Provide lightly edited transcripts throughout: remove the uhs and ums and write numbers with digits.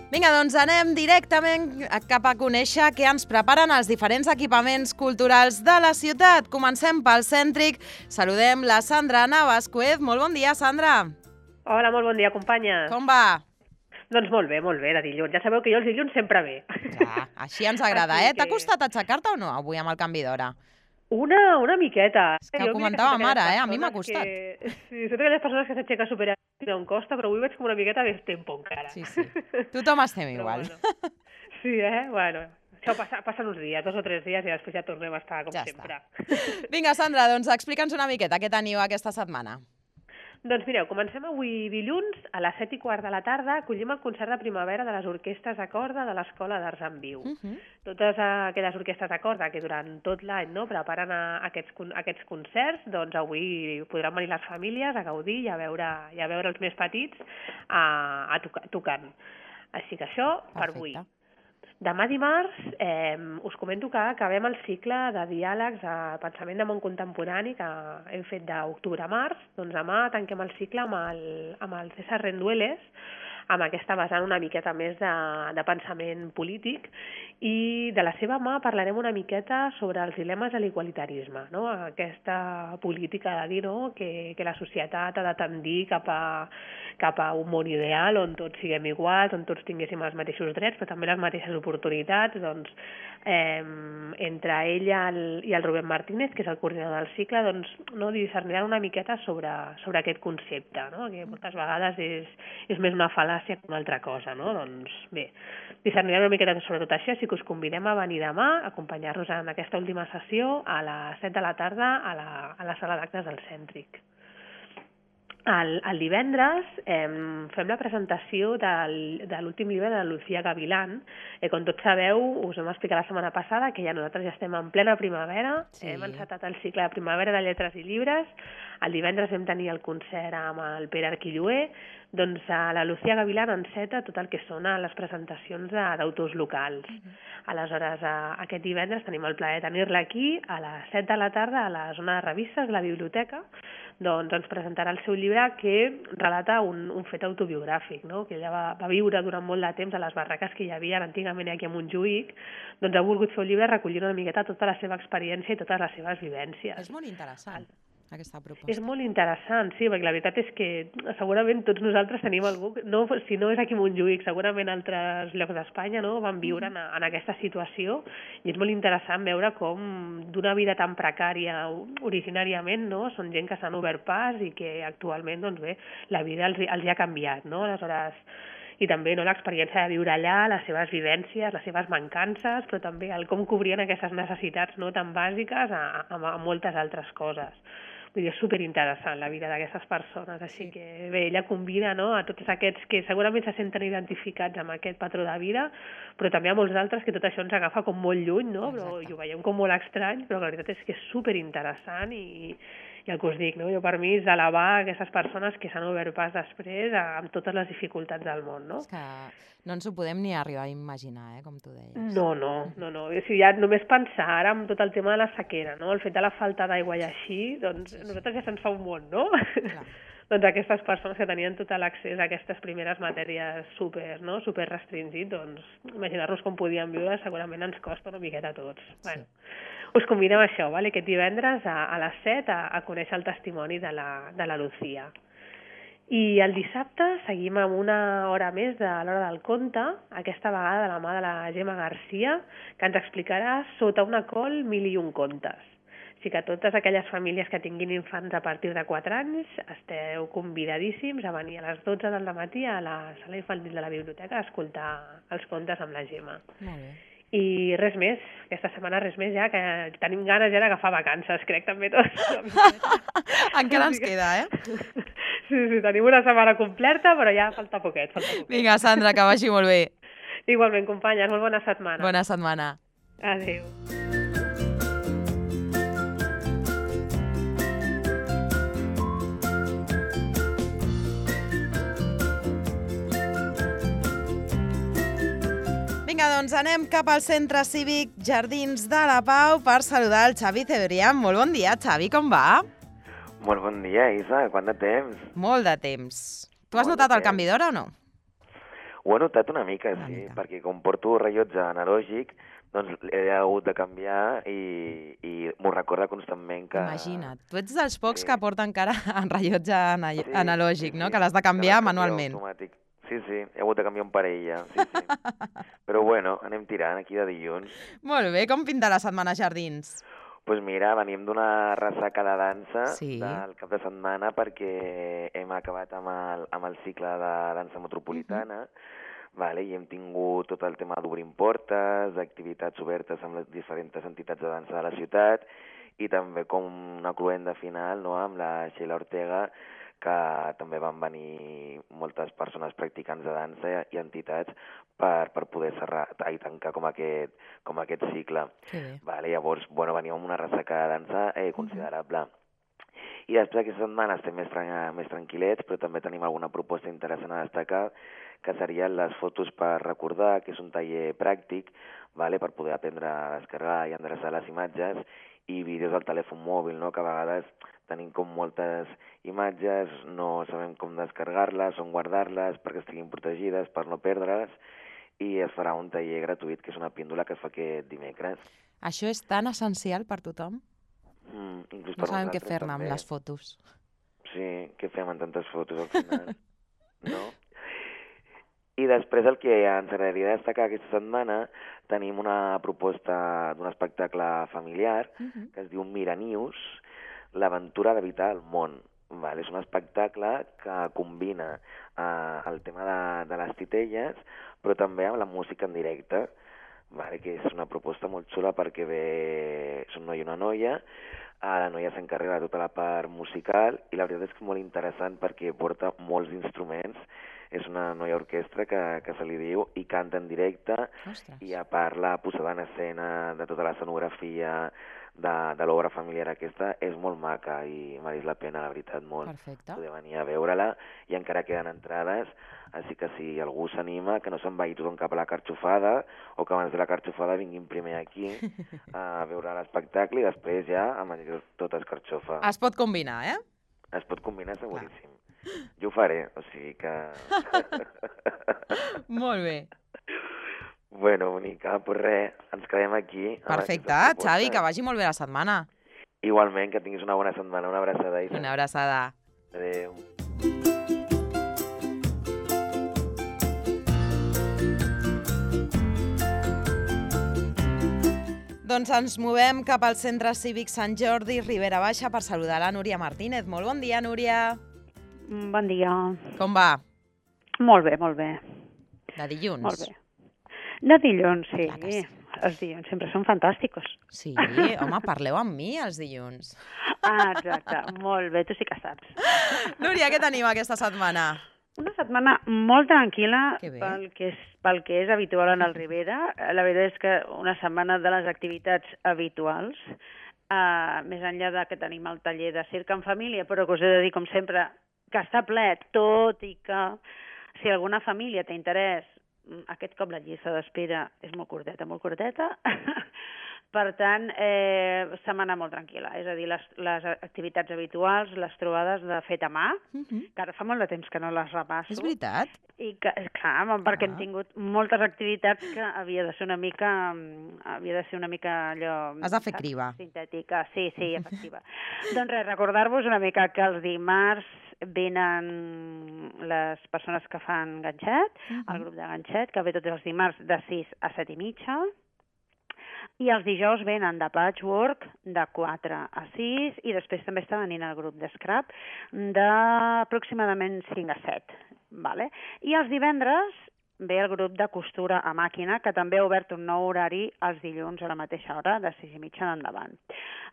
Vinga, doncs anem directament cap a conèixer què ens preparen els diferents equipaments culturals de la ciutat. Comencem pel cèntric. Saludem la Sandra Navascuez. Molt bon dia, Sandra. Hola, molt bon dia, companya. Com va? Doncs molt bé, de dilluns. Ja sabeu que jo els dilluns sempre bé. Clar, així ens agrada, eh? T'ha costat aixecar-te o no avui amb el canvi d'hora? Una miqueta. És que ho comentàvem ara, a mi m'ha costat. Sí, són aquelles persones que s'aixequen superràpid on costa, però avui veig com una miqueta més tempo encara. Sí. Tothom estem igual. Bueno. Sí, Bueno, això passen uns dies, 2 o 3 dies, i després ja tornem a estar com sempre. Vinga, Sandra, doncs explica'ns una miqueta què teniu aquesta setmana. Doncs mireu, comencem avui dilluns a les 7:15 de la tarda, acollim el concert de primavera de les orquestres de corda de l'Escola d'Arts en Viu. Totes aquelles orquestres de corda que durant tot l'any preparen aquests concerts, doncs avui podran venir les famílies a gaudir i a veure els més petits tocant. Així que això per avui. Demà dimarts us comento que acabem el cicle de diàlegs de pensament de món contemporani que hem fet d'octubre a març. Doncs demà tanquem el cicle amb el César Rendueles, amb aquesta vessant una miqueta més de pensament polític, i de la seva mà parlarem una miqueta sobre els dilemes de l'igualitarisme, no? Aquesta política de dir que la societat ha de tendir cap a un món ideal on tots siguem iguals, on tots tinguéssim els mateixos drets, però també les mateixes oportunitats. Doncs, entre ell i el Rubén Martínez, que és el coordinador del cicle, doncs, discerniran una miqueta sobre aquest concepte, no? Que moltes vegades és més una fal·làcia que una altra cosa, no? Doncs bé, discerniran una miqueta sobre tot això, així que us convidem a venir demà, a acompanyar-nos en aquesta última sessió a les 7 de la tarda a la sala d'actes del Cèntric. El divendres fem la presentació de l'últim llibre de la Lucía Gavilán. Com tots sabeu, us vam explicar la setmana passada que nosaltres ja estem en plena primavera, hem encetat el cicle de primavera de lletres i llibres. El divendres vam tenir el concert amb el Pere Arquilloé. Doncs la Lucía Gavilán enceta tot el que són les presentacions d'autors locals. Aleshores, aquest divendres tenim el plaer de tenir-la aquí a les 7 de la tarda a la zona de revistes de la biblioteca. Doncs ens presentarà el seu llibre que relata un fet autobiogràfic, no? Que ella va viure durant molt de temps a les barraques que hi havia antigament aquí a Montjuïc. Doncs ha volgut fer un llibre recollint una miqueta tota la seva experiència i totes les seves vivències. És molt interessant, aquesta proposta. És molt interessant, sí, perquè la veritat és que segurament tots nosaltres tenim algú, si no és aquí a Montjuïc, segurament a altres llocs d'Espanya, van viure en aquesta situació, i és molt interessant veure com d'una vida tan precària originàriament, són gent que s'han obert pas i que actualment, doncs bé, la vida els ha canviat, no? Aleshores, i també l'experiència de viure allà, les seves vivències, les seves mancances, però també el com cobrien aquestes necessitats tan bàsiques a moltes altres coses. Vull dir, és superinteressant la vida d'aquestes persones, així que bé, ella convida a tots aquests que segurament se senten identificats amb aquest patró de vida, però també a molts altres que tot això ens agafa com molt lluny, i ho veiem com molt estrany, però la veritat és que és superinteressant i el que us dic, jo per mi és elevar aquestes persones que s'han obert pas després amb totes les dificultats del món, no? És que no ens ho podem ni arribar a imaginar, com tu deies. No. Ja només pensar ara en tot el tema de la sequera, el fet de la falta d'aigua i així, doncs nosaltres ja se'ns fa un món, no? Clar. Doncs aquestes persones que tenien tot l'accés a aquestes primeres matèries super restringit, doncs imaginar-nos com podien viure segurament ens costa una miqueta a tots. Bueno, us convidem a això, aquest divendres a les 7 a conèixer el testimoni de la Lucía. I el dissabte seguim amb una hora més de l'Hora del Conte, aquesta vegada de la mà de la Gemma Garcia, que ens explicarà Sota una col 1001 contes. Així que totes aquelles famílies que tinguin infants a partir de 4 anys esteu convidadíssims a venir a les 12 del matí a la sala infantil de la biblioteca a escoltar els contes amb la Gemma. Molt bé. I res més, aquesta setmana res més ja, que tenim ganes ja d'agafar vacances, crec també tots. Encara ens queda, Sí, tenim una setmana completa, però ja falta poquet. Vinga, Sandra, que vagi molt bé. Igualment, companyes, molt bona setmana. Bona setmana. Adéu. Vinga, doncs anem cap al Centre Cívic Jardins de la Pau per saludar el Xavi Cebrián. Molt bon dia, Xavi, com va? Molt bon dia, Isa, quant de temps? Molt de temps. Tu has notat el canvi d'hora o no? Ho he notat una mica, Una sí, mica. perquè com porto rellotge analògic, doncs he hagut de canviar i m'ho recorda constantment que... Imagina't, tu ets dels pocs Sí. que porta encara en rellotge Sí, analògic, sí, no? sí, Que l'has de que canviar les canvio manualment. automàtic. Sí, sí, he hagut de canviar un parell ja, sí, sí. Però bueno, anem tirant aquí de dilluns. Molt bé, com pinta la setmana a Jardins? Doncs mira, venim d'una ressaca de dansa Sí. del cap de setmana perquè hem acabat amb el cicle de dansa metropolitana, vale? I hem tingut tot el tema d'obrim portes, d'activitats obertes amb les diferents entitats de dansa de la ciutat i també com una cluenda final, no?, amb la Sheila Ortega, que també van venir moltes persones practicants de dansa i entitats per poder tancar com aquest cicle. Que bé. Vale, llavors, bueno, veníem amb una ressaca de dansa considerable. I després aquesta setmana estem més tranquil·lets, però també tenim alguna proposta interessant a destacar, que serien les fotos per recordar, que és un taller pràctic, vale, per poder aprendre a descarregar i endreçar les imatges, i vídeos al telèfon mòbil, no?, que a vegades tenim com moltes imatges, no sabem com descarregar-les, on guardar-les, perquè estiguin protegides, per no perdre-les, i es farà un taller gratuït, que és una píndola que es fa aquest dimecres. Això és tan essencial per tothom? Inclús No per sabem què nosaltres, fer-ne amb també. les fotos. Sí, què fem amb tantes fotos al final, no? I després el que ens agradaria destacar aquesta setmana, tenim una proposta d'un espectacle familiar que es diu Miranius, l'aventura d'habitar el món. Vale? És un espectacle que combina el tema de les titelles, però també amb la música en directe, vale? Que és una proposta molt xula perquè és un noi i una noia. La noia s'encarrega de tota la part musical i la veritat és que és molt interessant perquè porta molts instruments. És una noia orquestra que se li diu i canta en directe. Ostres. I a part la posada en escena de tota l'escenografia de l'obra familiar aquesta és molt maca i mereix la pena, la veritat, molt. Perfecte. Poder venir a veure-la i encara queden entrades, així que si algú s'anima, que no se'n vagi tothom cap a la Carxofada o que abans de la Carxofada vinguin primer aquí a veure l'espectacle i després ja a menjar tot escarxofa. Es pot combinar, eh? Es pot combinar seguríssim. Jo ho faré, o sigui que... Molt bé. Bueno, bonica, doncs res, ens quedem aquí. Perfecte, Xavi, que vagi molt bé la setmana. Igualment, que tinguis una bona setmana, una abraçada. Isa. Una abraçada. Adéu. Doncs ens movem cap al Centre Cívic Sant Jordi, Ribera Baixa, per saludar la Núria Martínez. Molt bon dia, Núria. Bon dia. Com va? Molt bé, molt bé. De dilluns? Molt bé. De dilluns, sí. Clar que sí. Els dilluns sempre són fantàsticos. Sí, home, parleu amb mi els dilluns. Ah, exacte. Molt bé, tu sí que saps. Núria, què tenim aquesta setmana? Una setmana molt tranquil·la Que bé. pel que és habitual en el Ribera. La veritat és que una setmana de les activitats habituals, més enllà de que tenim el taller de circ en família, però que us he de dir, com sempre, que està ple, tot i que si alguna família té interès, aquest cop la llista d'espera és molt curteta. Per tant, setmana molt tranquil·la. És a dir, les activitats habituals, les trobades de fet a mà, que ara fa molt de temps que no les repasso. És veritat? I que, clar, perquè hem tingut moltes activitats que havia de ser una mica allò... Has de fer criba. Sintètica, sí, efectiva. Doncs res, recordar-vos una mica que els dimarts venen les persones que fan ganxet, el grup de ganxet, que ve tots els dimarts de 6 a 7 i mitja, i els dijous venen de patchwork de 4 a 6 i després també està venint el grup de scrap d'aproximadament 5 a 7. Vale? I els divendres ve el grup de costura a màquina, que també ha obert un nou horari els dilluns a la mateixa hora, de 6 i mitja en endavant.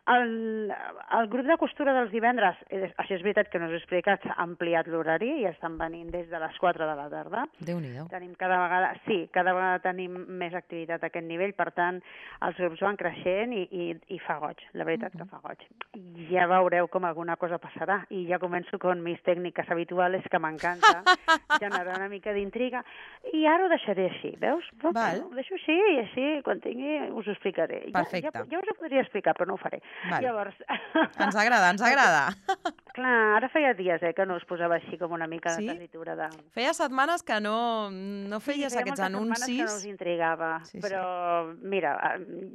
El grup de costura dels divendres, això és veritat que no us he explicat, s'ha ampliat l'horari i estan venint des de les 4 de la tarda. Déu-n'hi-do. Tenim cada vegada tenim més activitat a aquest nivell, per tant, els grups van creixent i fa goig, la veritat que fa goig. Ja veureu com alguna cosa passarà i ja començo con mis tècniques habituals, que m'encanta generar una mica d'intriga. I ara ho deixaré així, veus? Val. Ho deixo així i així, quan tingui, us ho explicaré. Perfecte. Ja us ho podria explicar, però no ho faré. Val. Llavors... Ens agrada, ens agrada. Clar, ara feia dies que no us posava així com una mica Sí? de tessitura de... Feia setmanes que no feies feia aquests moltes setmanes que no us anuncis. intrigava, Sí, sí. però mira,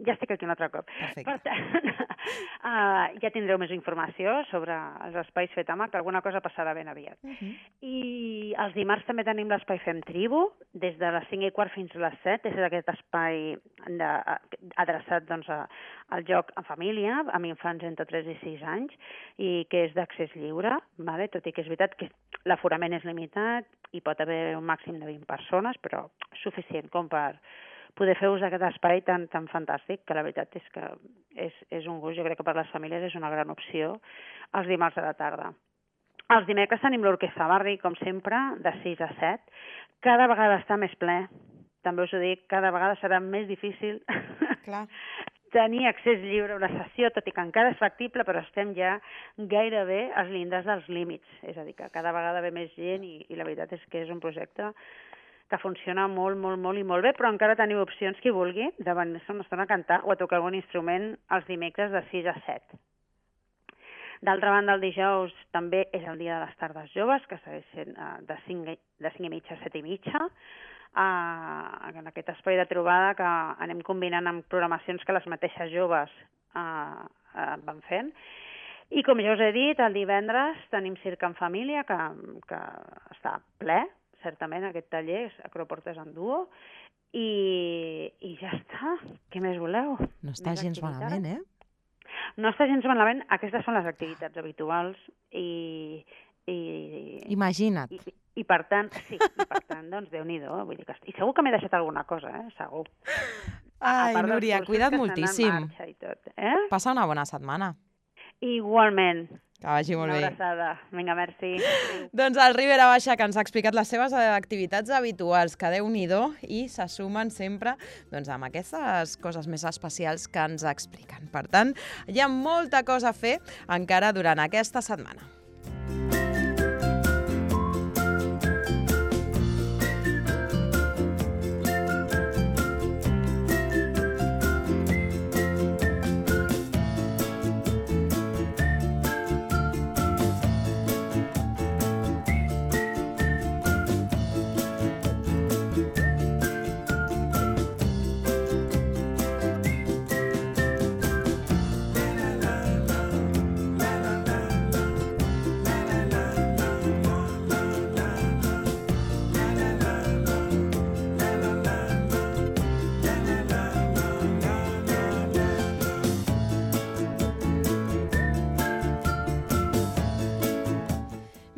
ja estic aquí un altre cop. Perfecte. Per tant, ja tindreu més informació sobre els espais Fetamac, alguna cosa passarà ben aviat. I els dimarts també tenim l'espai Fem Tribu, des de les 5:15 fins a les 7, és aquest espai adreçat doncs, al joc en família, amb infants entre 3 i 6 anys, i que és d'accés lliure, vale? Tot i que és veritat que l'aforament és limitat i pot haver un màxim de 20 persones, però suficient com per poder fer ús d'aquest espai tan fantàstic, que la veritat és que és un gust, jo crec que per les famílies és una gran opció els dimarts a la tarda. Els dimecres tenim l'Orquestra Barri, com sempre, de 6 a 7. Cada vegada està més ple, també us ho dic, cada vegada serà més difícil Clar. tenir accés lliure a una sessió, tot i que encara és factible, però estem ja gairebé als llindars dels límits. És a dir, que cada vegada ve més gent i la veritat és que és un projecte que funciona molt, molt, molt i molt bé, però encara teniu opcions, qui vulgui, de venir-se una estona a cantar o a tocar algun instrument els dimecres de 6 a 7. D'altra banda, el dijous també és el dia de les tardes joves, que segueix sent de 5 i mitja a 7 i mitja, en aquest espai de trobada que anem combinant amb programacions que les mateixes joves van fent. I com ja us he dit, el divendres tenim Circ en Família, que està ple, certament, aquest taller, Acroportes en duo, i ja està. Què més voleu? No està gens malament, eh? No està gens malament. Aquestes són les activitats habituals i Imagina't. I per tant, doncs Déu-n'hi-do, vull dir que... I segur que m'he deixat alguna cosa, segur. Ai, Núria, cuida't moltíssim. Passa una bona setmana. Igualment. Que vagi molt bé. Una abraçada. Vinga, merci. Doncs el Ribera Baixa, que ens ha explicat les seves activitats habituals, que Déu-n'hi-do, i se sumen sempre amb aquestes coses més especials que ens expliquen. Per tant, hi ha molta cosa a fer encara durant aquesta setmana.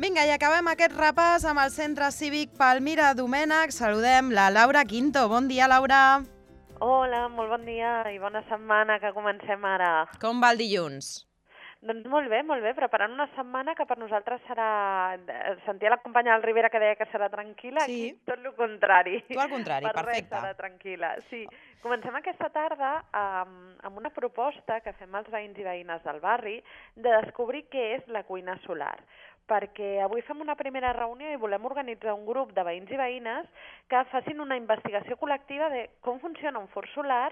Vinga, i acabem aquest repàs amb el Centre Cívic Palmira Domènech. Saludem la Laura Quinto. Bon dia, Laura. Hola, molt bon dia i bona setmana que comencem ara. Com va el dilluns? Doncs molt bé, preparant una setmana que per nosaltres serà... Sentia la companya del Ribera que deia que serà tranquil·la, sí. Aquí tot el contrari. Tu al contrari, perfecte. Per res serà tranquil·la, sí. Comencem aquesta tarda amb una proposta que fem als veïns i veïnes del barri de descobrir què és la cuina solar. Perquè avui fem una primera reunió i volem organitzar un grup de veïns i veïnes que facin una investigació col·lectiva de com funciona un forn solar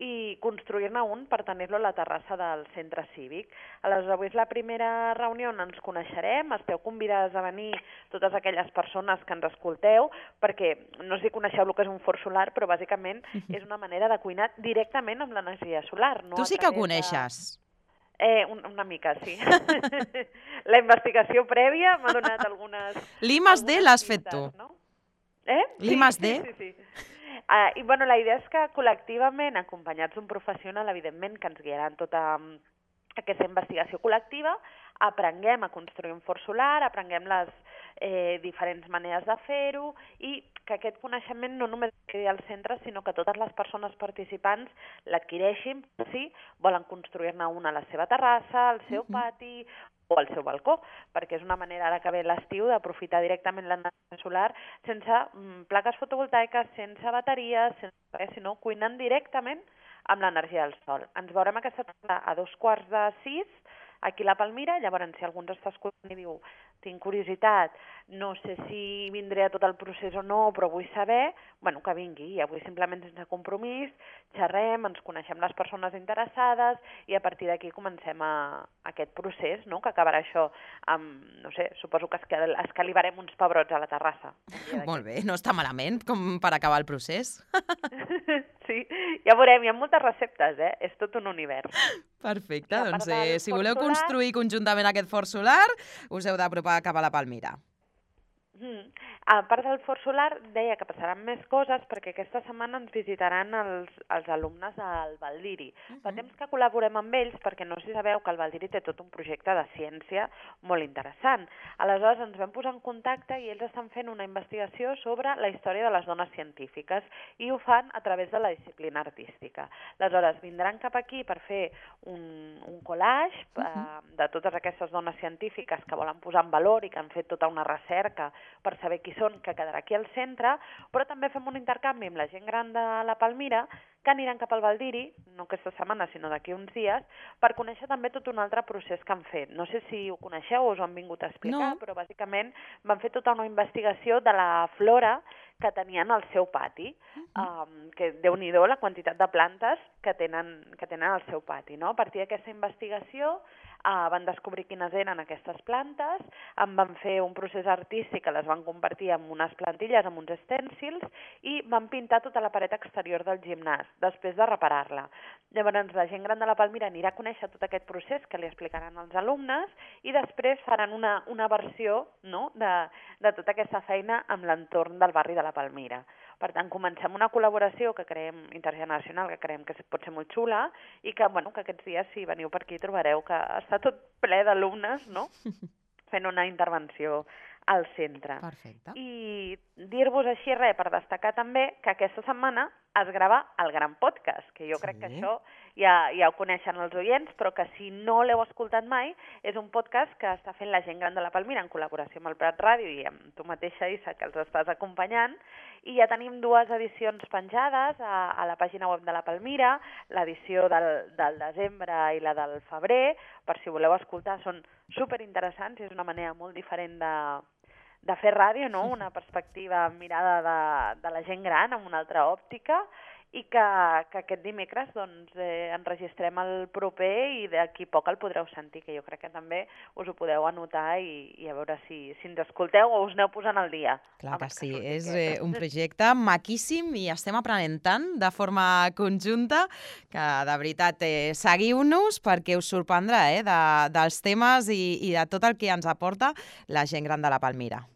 i construir-ne un per tenir-lo a la terrassa del centre cívic. Aleshores, avui és la primera reunió on ens coneixerem, esteu convidades a venir totes aquelles persones que ens escolteu, perquè no sé si coneixeu el que és un forn solar, però bàsicament és una manera de cuinar directament amb l'energia solar. No tu sí que coneixes. Una mica, sí. La investigació prèvia m'ha donat algunes... L'I+D l'has fet tu. No? L'I+D? Sí. I la idea és que col·lectivament, acompanyats d'un professional, evidentment, que ens guiarà en tota aquesta investigació col·lectiva, aprenguem a construir un forn solar, aprenguem les diferents maneres de fer-ho i que aquest coneixement no només quedi al centre, sinó que totes les persones participants l'adquireixin si volen construir-ne una a la seva terrassa, al seu pati o al seu balcó, perquè és una manera, ara que ve l'estiu, d'aprofitar directament l'energia solar sense plaques fotovoltaiques, sense bateries, sinó cuinant directament amb l'energia del sol. Ens veurem aquesta tarda a 5:15 aquí a la Palmira, llavors si algú ens està escoltant i diu tinc curiositat, no sé si vindré a tot el procés o no, però vull saber, bueno, que vingui. I avui simplement sense compromís, xerrem, ens coneixem les persones interessades i a partir d'aquí comencem aquest procés, no?, que acabarà això amb, no sé, suposo que escalivarem uns pebrots a la terrassa. Molt bé, no està malament com per acabar el procés. Sí, ja veurem, hi ha moltes receptes, És tot un univers. Perfecte, doncs si voleu construir conjuntament aquest fort solar, us heu d'apropar cap a la Palmira. A part del fort solar, deia que passaran més coses perquè aquesta setmana ens visitaran els alumnes del Valdiri. Fa temps que col·laborem amb ells perquè no sé si sabeu que el Valdiri té tot un projecte de ciència molt interessant. Aleshores ens vam posar en contacte i ells estan fent una investigació sobre la història de les dones científiques i ho fan a través de la disciplina artística. Aleshores vindran cap aquí per fer un collage de totes aquestes dones científiques que volen posar en valor i que han fet tota una recerca per saber qui són, que quedarà aquí al centre, però també fem un intercanvi amb la gent gran de la Palmira, que aniran cap al Valdiri, no aquesta setmana, sinó d'aquí uns dies, per conèixer també tot un altre procés que han fet. No sé si ho coneixeu o us ho han vingut a explicar, però bàsicament van fer tota una investigació de la flora que tenien al seu pati, que déu-n'hi-do la quantitat de plantes que tenen al seu pati, no? A partir d'aquesta investigació van descobrir quines eren aquestes plantes, en van fer un procés artístic que les van convertir en unes plantilles, en uns estèncils, i van pintar tota la paret exterior del gimnàs, després de reparar-la. Llavors, la gent gran de la Palmira anirà a conèixer tot aquest procés que li explicaran als alumnes i després faran una versió, no?, de tota aquesta feina amb l'entorn del barri de la Palmira. Per tant, comencem una col·laboració que creiem intergeneracional, que creiem que pot ser molt xula i que, bueno, que aquests dies, si veniu per aquí, trobareu que està tot ple d'alumnes, no?, fent una intervenció al centre. Perfecte. I dir-vos així res, per destacar també que aquesta setmana es grava el Gran Podcast, que jo crec que això ja ho coneixen els oients, però que si no l'heu escoltat mai, és un podcast que està fent la gent gran de la Palmira en col·laboració amb el Prat Ràdio i amb tu mateixa, Isa, que els estàs acompanyant, i ja tenim 2 edicions penjades a la pàgina web de la Palmira, l'edició del desembre i la del febrer, per si voleu escoltar, són superinteressants i és una manera molt diferent de fer ràdio, no? Una perspectiva mirada de la gent gran amb una altra òptica i que aquest dimecres doncs, enregistrem el proper i d'aquí poc el podreu sentir, que jo crec que també us ho podeu anotar i a veure si ens escolteu o us aneu posant al dia. Clar que sí, és un projecte maquíssim i estem aprenent tant de forma conjunta que de veritat seguiu-nos perquè us sorprendrà dels temes i de tot el que ens aporta la gent gran de la Palmira.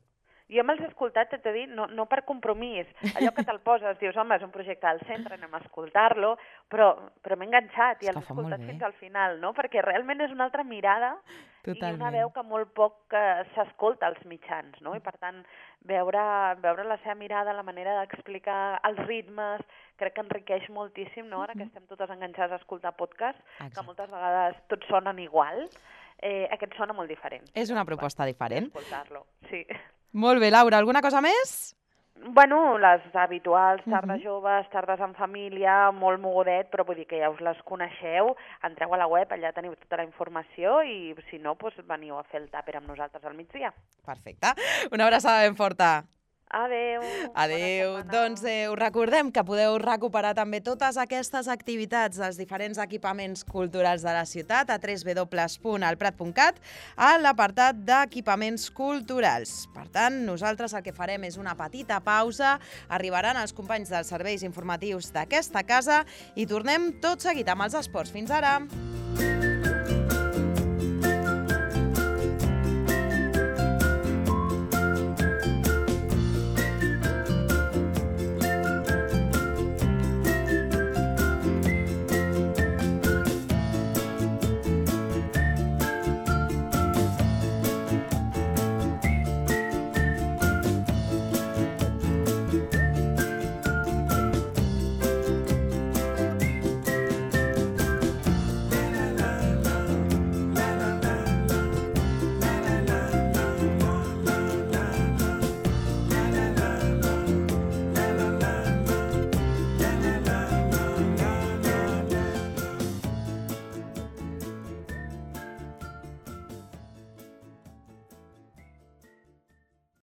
Jo me'ls he escoltat, t'he de dir, no per compromís. Allò que te'l poses, dius, home, és un projecte al centre, anem a escoltar-lo, però m'he enganxat i els he escoltat fins al final, no? Perquè realment és una altra mirada i una veu que molt poc s'escolta als mitjans, no? I per tant, veure la seva mirada, la manera d'explicar els ritmes, crec que enriqueix moltíssim, no? Ara que estem totes enganxades a escoltar podcast, que moltes vegades tots sonen igual, aquest sona molt diferent. És una proposta diferent. Escoltar-lo, sí. Molt bé, Laura, alguna cosa més? Bueno, les habituals, tardes joves, tardes en família, molt mogudet, però vull dir que ja us les coneixeu, entreu a la web, allà teniu tota la informació i si no, doncs veniu a fer el tàper amb nosaltres al migdia. Perfecte. Una abraçada ben forta. Adéu. Adéu. Doncs us recordem que podeu recuperar també totes aquestes activitats dels diferents equipaments culturals de la ciutat a www.alprat.cat a l'apartat d'equipaments culturals. Per tant, nosaltres el que farem és una petita pausa, arribaran els companys dels serveis informatius d'aquesta casa i tornem tot seguit amb els esports. Fins ara!